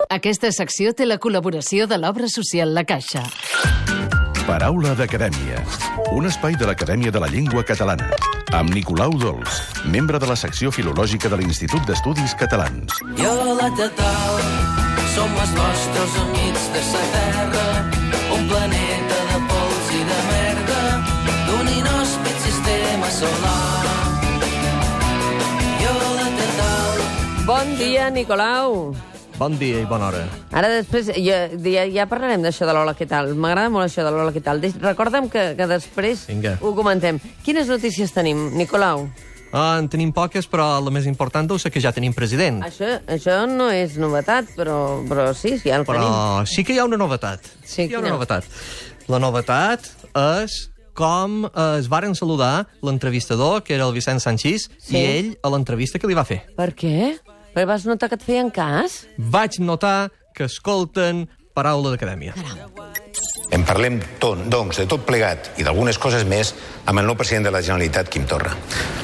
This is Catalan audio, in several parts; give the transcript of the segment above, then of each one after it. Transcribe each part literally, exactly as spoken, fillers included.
Aquesta secció té la col·laboració de l'Obra Social La Caixa. Paraula d'Acadèmia, un espai de l'Acadèmia de la Llengua Catalana, amb Nicolau Dols, membre de la secció filològica de l'Institut d'Estudis Catalans. Jo la Tatal, som els vostres amics de sa terra, un planeta de pols i de merda, d'un inhòspit sistema solar. Jo la Tatal... Bon dia, Nicolau. Bon dia i bona hora. Ara després, ja, ja, ja parlarem d'això de l'Hola, què tal? M'agrada molt això de l'Hola, què tal? Recorda'm que, que després Vinga. ho comentem. Quines notícies tenim, Nicolau? Ah, en tenim poques, però la més important deu ser que ja tenim president. Això, això no és novetat, però, però sí, sí, ja el Però tenim. sí que hi ha una novetat. Sí, hi ha quina? una novetat. La novetat és com es varen saludar l'entrevistador, que era el Vicent Sanchis, Sí. i ell a l'entrevista que li va fer. Per què? Perquè vas notar que et feien cas? Vaig notar que escolten Paraula d'Acadèmia. En parlem, tot, doncs, de tot plegat i d'algunes coses més amb el nou president de la Generalitat, Quim Torra.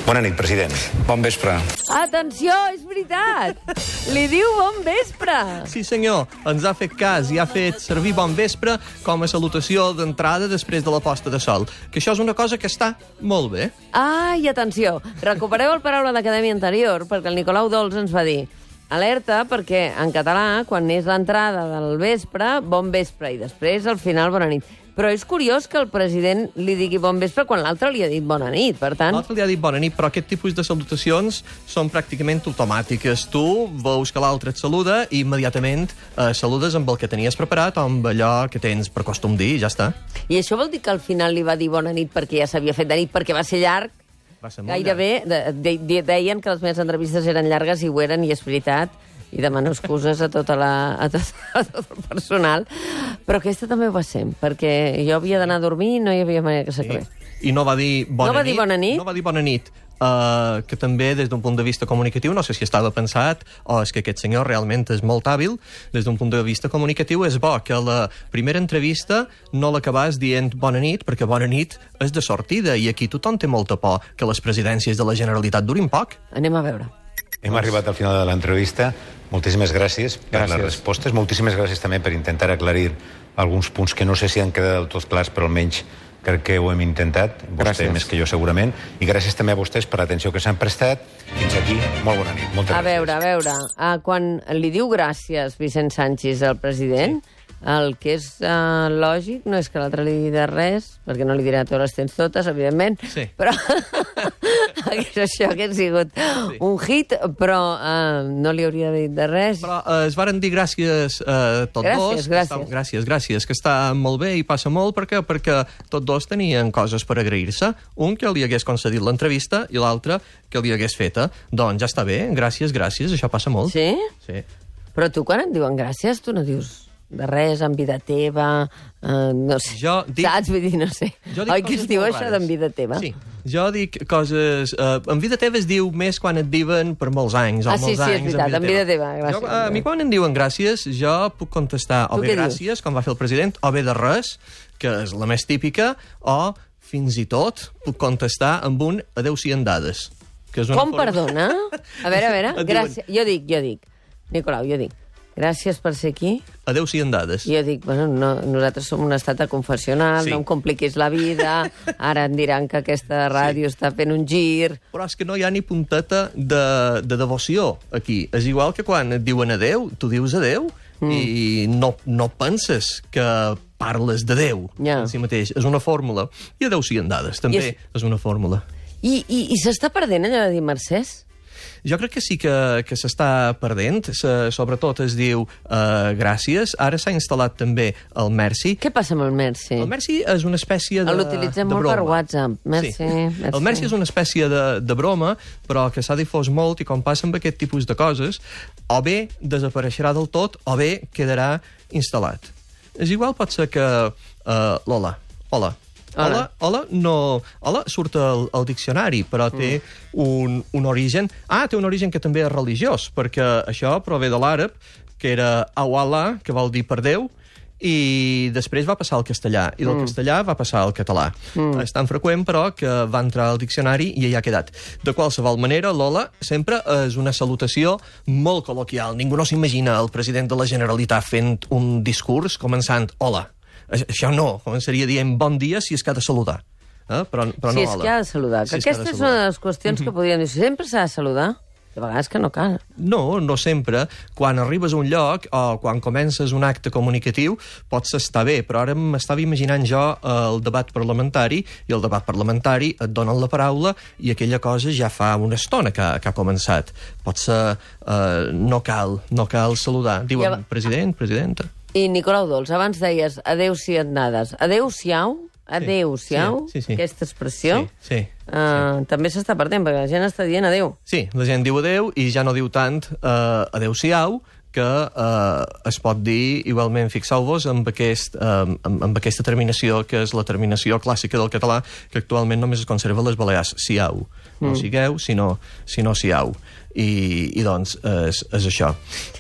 Bona nit, president. Bon vespre. Atenció, és veritat! Li diu bon vespre! Sí, senyor, ens ha fet cas i ha fet servir bon vespre com a salutació d'entrada després de la posta de sol. Que això és una cosa que està molt bé. Ah, i atenció, recupereu el Paraula d'Acadèmia anterior, perquè el Nicolau Dols ens va dir alerta, perquè en català, quan és l'entrada del vespre, bon vespre, i després, al final, bona nit. Però és curiós que el president li digui bon vespre quan l'altre li ha dit bona nit, per tant... L'altre li ha dit bona nit, però aquest tipus de salutacions són pràcticament automàtiques. Tu veus que l'altre et saluda i immediatament eh, saludes amb el que tenies preparat o amb allò que tens per costum dir, i ja està. I això vol dir que al final li va dir bona nit perquè ja s'havia fet de nit, perquè va ser llarg? Va ser molt Gairebé de, de, de, deien que les meves entrevistes eren llargues i ho eren, i és veritat, i demano excuses a, tota la, a, tot, a tot el personal, però aquesta també ho va ser, perquè jo havia d'anar a dormir i no hi havia manera que s'acabés. I no va dir bona No va nit. dir bona nit? No va dir bona nit. Uh, que també, des d'un punt de vista comunicatiu, no sé si estava pensat o és que aquest senyor realment és molt hàbil, des d'un punt de vista comunicatiu és bo que la primera entrevista no l'acabàs dient bona nit, perquè bona nit és de sortida, i aquí tothom té molta por que les presidències de la Generalitat durin poc. Anem a veure. Hem arribat al final de l'entrevista. Moltíssimes gràcies per Gràcies. les respostes. Moltíssimes gràcies també per intentar aclarir alguns punts que no sé si han quedat del tot clars, però almenys crec que ho hem intentat, vostè Gràcies. més que jo segurament, i gràcies també a vostès per l'atenció que s'han prestat. Fins aquí, molt bona nit. Moltes A gràcies. veure, a veure, uh, quan li diu gràcies Vicent Sanchis al president, sí. el que és uh, lògic no és que l'altre li digui de res, perquè no li dirà tu les tens totes, evidentment, Sí. però això hauria sigut sí. un hit, però uh, no li hauria dit de res. Però eh, es varen dir gràcies a tots Gràcies, dos. que gràcies. Està, gràcies, gràcies, que està molt bé i passa molt, perquè, perquè tots dos tenien coses per agrair-se. Un que li hagués concedit l'entrevista i l'altre que li hagués feta. Doncs ja està bé, gràcies, gràcies, això passa molt. Sí? Sí. Però tu quan em diuen gràcies, tu no dius de res, en vida teva, uh, no sé. Jo dic- Saps? Vull dir, no sé. Jo dic Oi que coses es diu molt això rares. d'en vida teva? Sí, jo dic coses... Uh, en vida teva es diu més quan et diuen per molts anys, o Ah, sí, molts sí, és anys. veritat, en vida teva, gràcies. Jo, a mi quan em diuen gràcies, jo puc contestar o Tu bé què dius? gràcies, com va fer el president, o bé de res, que és la més típica, o fins i tot puc contestar amb un adeu-sian dades. Que és una Com, forma- perdona? A veure, a veure, Et diuen- gràcies. Jo dic, jo dic. Nicolau, jo dic. Gràcies per ser aquí. Adeu-sian dades. I jo dic, bueno, no, nosaltres som un estat de confessional, Sí. no em compliquis la vida, ara em diran que aquesta ràdio sí. està fent un gir... Però és que no hi ha ni punteta de, de devoció aquí. És igual que quan et diuen adeu, tu dius adeu mm. i no, no penses que parles de Déu Ja. en si mateix. És una fórmula. I adeu-sian dades, també I és- és una fórmula. I, i, i s'està perdent allò de dir mercès? Jo crec que sí que, que s'està perdent, se, sobretot es diu uh, gràcies. Ara s'ha instal·lat també el Merci. Què passa amb el Merci? El Merci és una espècie de, L'utilitzem de molt broma. per WhatsApp. Merci, Sí. merci. El Merci és una espècie de, de broma, però que s'ha difós molt, i com passa amb aquest tipus de coses, o bé desapareixerà del tot, o bé quedarà instal·lat. És igual, pot ser que uh, l'hola, hola, Hola. Hola, hola, no... Hola surt al, al diccionari, però té mm. un, un origen... Ah, té un origen que també és religiós, perquè això prové de l'àrab, que era awala, que vol dir per Déu, i després va passar al castellà, i del mm. castellà va passar al català. Mm. És tan freqüent, però, que va entrar al diccionari i ja ha quedat. De qualsevol manera, l'hola sempre és una salutació molt col·loquial. Ningú no s'imagina el president de la Generalitat fent un discurs començant hola. Això no, començaria dient bon dia si és que ha de saludar. Eh? Però, però si no és hola. que ha de saludar. Si Que és que ha de aquesta és saludar. una de les qüestions mm-hmm. que podríem dir. Sempre s'ha de saludar. De vegades que no cal. No, no sempre. Quan arribes a un lloc o quan comences un acte comunicatiu pots estar bé, però ara m'estava imaginant jo el debat parlamentari i el debat parlamentari et donen la paraula i aquella cosa ja fa una estona que, que ha començat. Potser eh, no cal, no cal saludar. Diuen Ja va- president, presidenta. I Nicolau Dols, abans deies adeu si et nades. Adeu-siau? Adeu-siau? Sí, sí, sí. Aquesta expressió? Sí, sí. Uh, sí. També s'està perdent, perquè la gent està dient adeu. Sí, la gent diu adeu i ja no diu tant eh, adeu-siau, que eh, es pot dir igualment, fixeu-vos, amb, aquest, eh, amb, amb aquesta terminació, que és la terminació clàssica del català, que actualment només es conserva a les Balears, siau. No mm. sigueu, sinó, sinó siau. I, i doncs és, és això.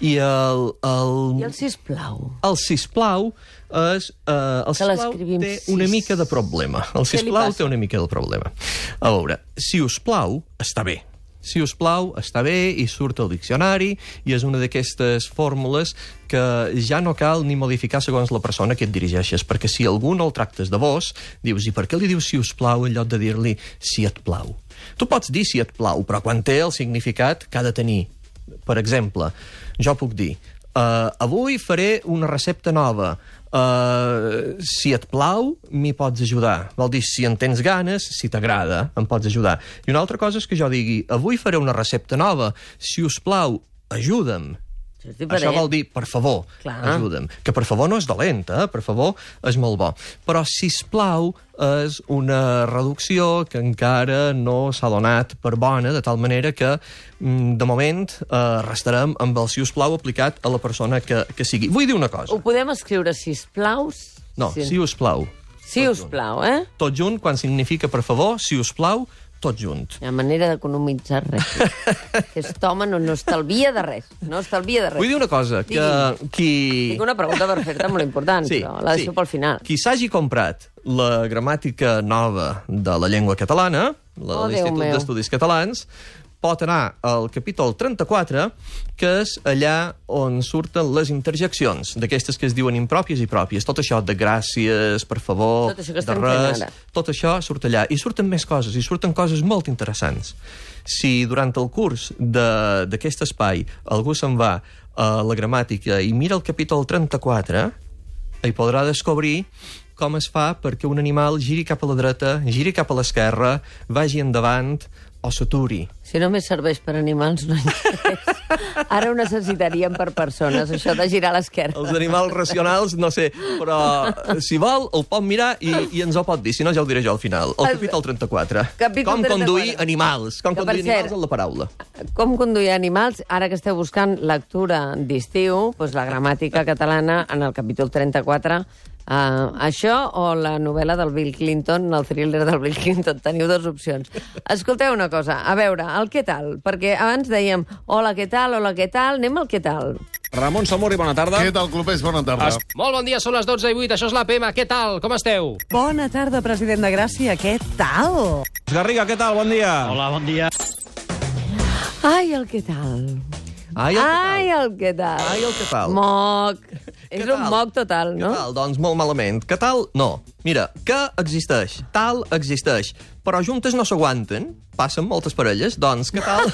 I el... el... I el sisplau? El sisplau és... Eh, el sisplau té una mica de problema. El sisplau té una mica de problema. A veure, si us plau, està bé. Si us plau, està bé, i surt al diccionari, i és una d'aquestes fórmules que ja no cal ni modificar segons la persona que et dirigeixes, perquè si algú no el tractes de vos, dius, i per què li dius si us plau en lloc de dir-li si et plau? Tu pots dir si et plau, però quan té el significat que ha de tenir. Per exemple, jo puc dir, uh, avui faré una recepta nova, uh, si et plau, m'hi pots ajudar. Vol dir, si en tens ganes, si t'agrada, em pots ajudar. I una altra cosa és que jo digui, avui faré una recepta nova, si us plau, ajuda'm. Això vol dir, per favor, Clar. ajuda'm. Que per favor no és dolent, eh? Per favor és molt bo. Però sisplau és una reducció que encara no s'ha donat per bona, de tal manera que, de moment, eh, restarem amb el sisplau aplicat a la persona que, que sigui. Vull dir una cosa. Ho podem escriure sisplau? No, si us plau. Si us plau, eh? Tot junt, quan significa per favor, si us plau, tot junt. Hi ha manera d'economitzar res. Aquest home no, no estalvia de res. No estalvia de res. Vull dir una cosa, que Digui. qui... Tinc una pregunta per fer-te molt important, sí, però la deixo sí. pel final. Qui s'hagi comprat la gramàtica nova de la llengua catalana, la Oh, de l'Institut d'Estudis Catalans, pot anar al capítol trenta-quatre, que és allà on surten les interjeccions, d'aquestes que es diuen impròpies i pròpies. Tot això de gràcies, per favor, Tot això que de estem res, fent ara. tot això surt allà. I surten més coses, i surten coses molt interessants. Si durant el curs d'aquest espai algú se'n va a la gramàtica i mira el capítol trenta-quatre, hi podrà descobrir com es fa perquè un animal giri cap a la dreta, giri cap a l'esquerra, vagi endavant o s'aturi. Si només serveix per animals, no interessa. Ara ho necessitaríem per persones, això de girar a l'esquerra. Els animals racionals, no sé, però si vol, el pot mirar i, i ens ho pot dir, si no ja ho diré jo al final. El capítol trenta-quatre. Capítol com trenta-quatre. conduir animals. Com Que, per conduir cert, animals en la paraula. Com conduir animals? Ara que esteu buscant lectura d'estiu, doncs la gramàtica catalana en el capítol trenta-quatre. Uh, això o la novel·la del Bill Clinton, el thriller del Bill Clinton. Teniu dues opcions. Escolteu una cosa, a veure, el què tal? Perquè abans dèiem, hola, què tal, hola, què tal, anem al què tal. Ramon Samori, bona tarda. Què tal, clubers? Bona tarda. Es... Molt bon dia, són les dotze i vuit, això és l'A P M. Què tal? Com esteu? Bona tarda, president de Gràcia. Què tal? Garriga, què tal? Bon dia. Hola, bon dia. Ai, el què tal. Ai, el què tal? Ai, el què tal. Ai, el què tal? Moc. És Què un tal? moc total, no? Què tal? Doncs molt malament. Què tal? No. Mira, que existeix, tal existeix, però juntes no s'aguanten, passen moltes parelles, doncs què tal?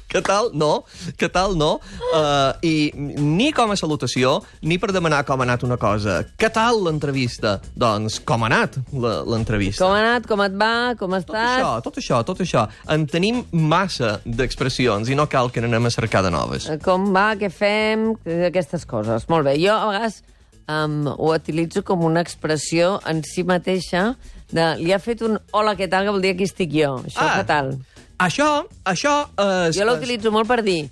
Què tal? No. Què tal? No. Uh, I ni com a salutació, ni per demanar com ha anat una cosa. Què tal l'entrevista? Doncs com ha anat la- l'entrevista? Com ha anat, com et va, com Tot estàs? això, tot això, tot això. En tenim massa d'expressions i no cal que n'anem a cercar de noves. Com va, què fem, aquestes coses. Molt bé, jo a vegades um, ho utilitzo com una expressió en si mateixa de li ha fet un hola, què tal, que vol dir aquí estic jo. Això, Ah. què tal? Això, això és... Jo l'utilitzo molt per dir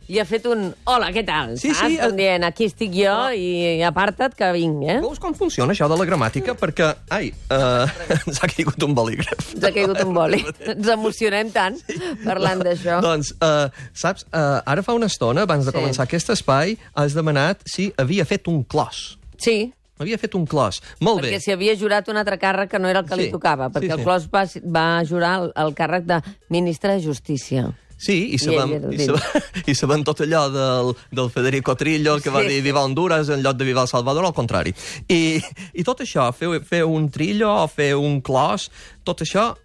li ha fet un hola, què tal? Sí, saps? sí, Com eh, dient, aquí estic jo i aparta't que vinc, eh? Veus com funciona això de la gramàtica? Perquè, ai, uh, ens ha caigut un bolígraf. Ens ha caigut un boli. Ens emocionem tant parlant d'això. Doncs, uh, saps, uh, ara fa una estona, abans de Sí. començar aquest espai, has demanat si havia fet un clos. Sí. Havia fet un clos. Molt bé. Perquè s'hi havia jurat un altre càrrec que no era el que Sí, li tocava, perquè sí, el sí. Clos va, va jurar el, el càrrec de ministre de Justícia. Sí, i sabem, ell era el i sabem, i sabem tot allò del, del Federico Trillo, que va Sí. dir Viva Honduras en lloc de Viva El Salvador, al contrari. I, i tot això, fer, fer un Trillo o fer un clos, tot això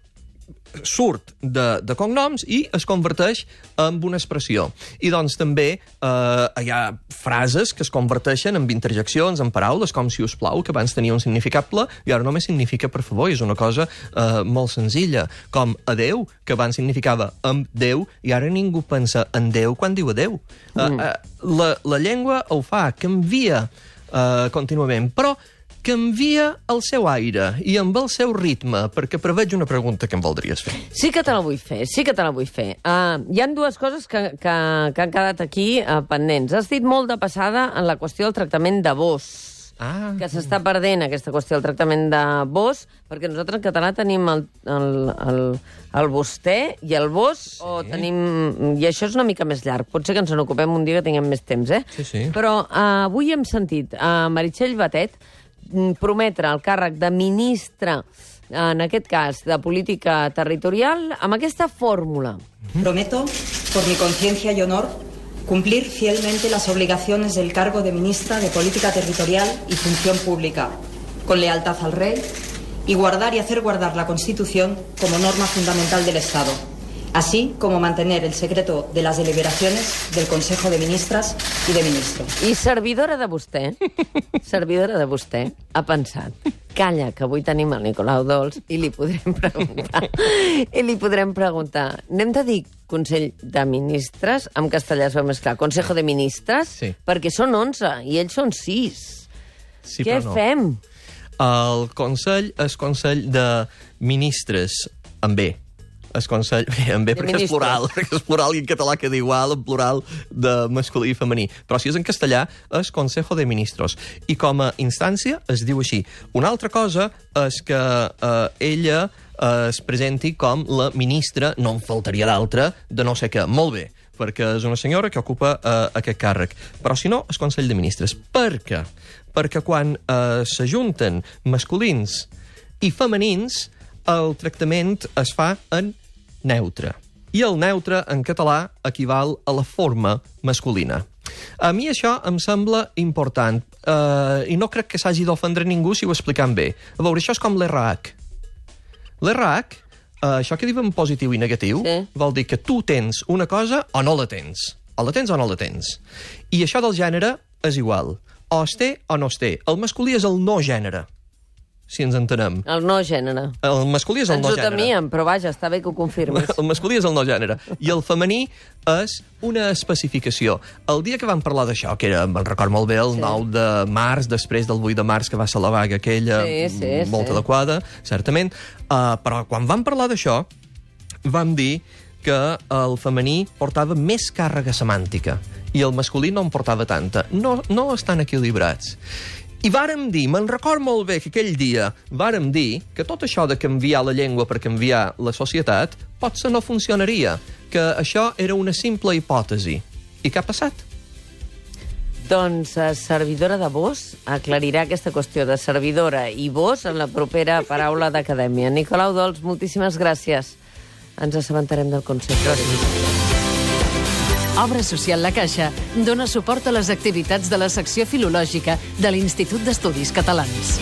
surt de, de cognoms i es converteix en una expressió. I doncs també eh, hi ha frases que es converteixen en interjeccions, en paraules, com si us plau, que abans tenia un significable i ara només significa per favor. És una cosa eh, molt senzilla, com adeu, que abans significava amb Déu i ara ningú pensa en Déu quan diu adeu. Mm. Eh, eh, la, la llengua ho fa, canvia eh, contínuament, però canvia el seu aire i amb el seu ritme, perquè preveig una pregunta que em voldries fer. Sí que te la vull fer, sí que te la vull fer. Uh, hi han dues coses que, que, que han quedat aquí uh, pendents. Has dit molt de passada en la qüestió del tractament de vos. Ah. Que s'està perdent aquesta qüestió del tractament de vos, perquè nosaltres en català tenim el, el, el, el vostè i el vos, sí. o tenim... I això és una mica més llarg. Potser que ens n'ocupem un dia que tinguem més temps, eh? Sí, sí. Però uh, avui hem sentit a uh, Meritxell Batet prometre el càrrec de ministre, en aquest cas, de política territorial, amb aquesta fórmula. Prometo, por mi conciencia y honor, cumplir fielmente las obligaciones del cargo de ministra de Política Territorial y Función Pública, con lealtad al Rey, y guardar y hacer guardar la Constitución como norma fundamental del Estado, así como mantener el secreto de las deliberaciones del Consejo de Ministras y de Ministros. I servidora de vostè, servidora de vostè, ha pensat, calla, que avui tenim el Nicolau Dols i li podrem preguntar. I li podrem preguntar. Anem de dir Consell de Ministres, en castellà es veu més clar, Consejo de Ministres, Sí. perquè són onze i ells són sis. Sí, Què però no. fem? El Consell és Consell de Ministres, amb B. Es Consell... Bé, en B De perquè és ministres. plural, perquè és plural i en català queda igual, en plural de masculí i femení. Però si és en castellà, és Consejo de Ministros. I com a instància es diu així. Una altra cosa és que eh, ella eh, es presenti com la ministra, no en faltaria d'altra, de no sé què. Molt bé, perquè és una senyora que ocupa eh, aquest càrrec. Però si no, és Consell de Ministres. Per què? Perquè quan eh, s'ajunten masculins i femenins, el tractament es fa en neutre. I el neutre, en català, equival a la forma masculina. A mi això em sembla important, eh, i no crec que s'hagi d'ofendre ningú si ho expliquem bé. A veure, això és com l'R H. L'R H, eh, això que diu en positiu i negatiu, Sí. vol dir que tu tens una cosa o no la tens. O la tens o no la tens. I això del gènere és igual. O es té o no es té. El masculí és el no gènere, si ens entenem. El no gènere. El masculí és el Ens no ho gènere. temíem, però vaja, està bé que ho confirmes. El masculí és el no gènere. I el femení és una especificació. El dia que vam parlar d'això, que era, me'n record molt bé, el Sí. nou de març, després del vuit de març, que va ser la vaga aquella, Sí, sí, molt sí. adequada, certament, uh, però quan vam parlar d'això, vam dir que el femení portava més càrrega semàntica i el masculí no en portava tanta. No, no estan equilibrats. I vàrem dir, me'n record molt bé que aquell dia vàrem dir que tot això de canviar la llengua per canviar la societat potser no funcionaria, que això era una simple hipòtesi. I què ha passat? Doncs eh, servidora de vos aclarirà aquesta qüestió de servidora i vos en la propera paraula d'acadèmia. Nicolau Dols, moltíssimes gràcies. Ens assabentarem del Consell. Gràcies. Obra Social La Caixa dona suport a les activitats de la secció filològica de l'Institut d'Estudis Catalans.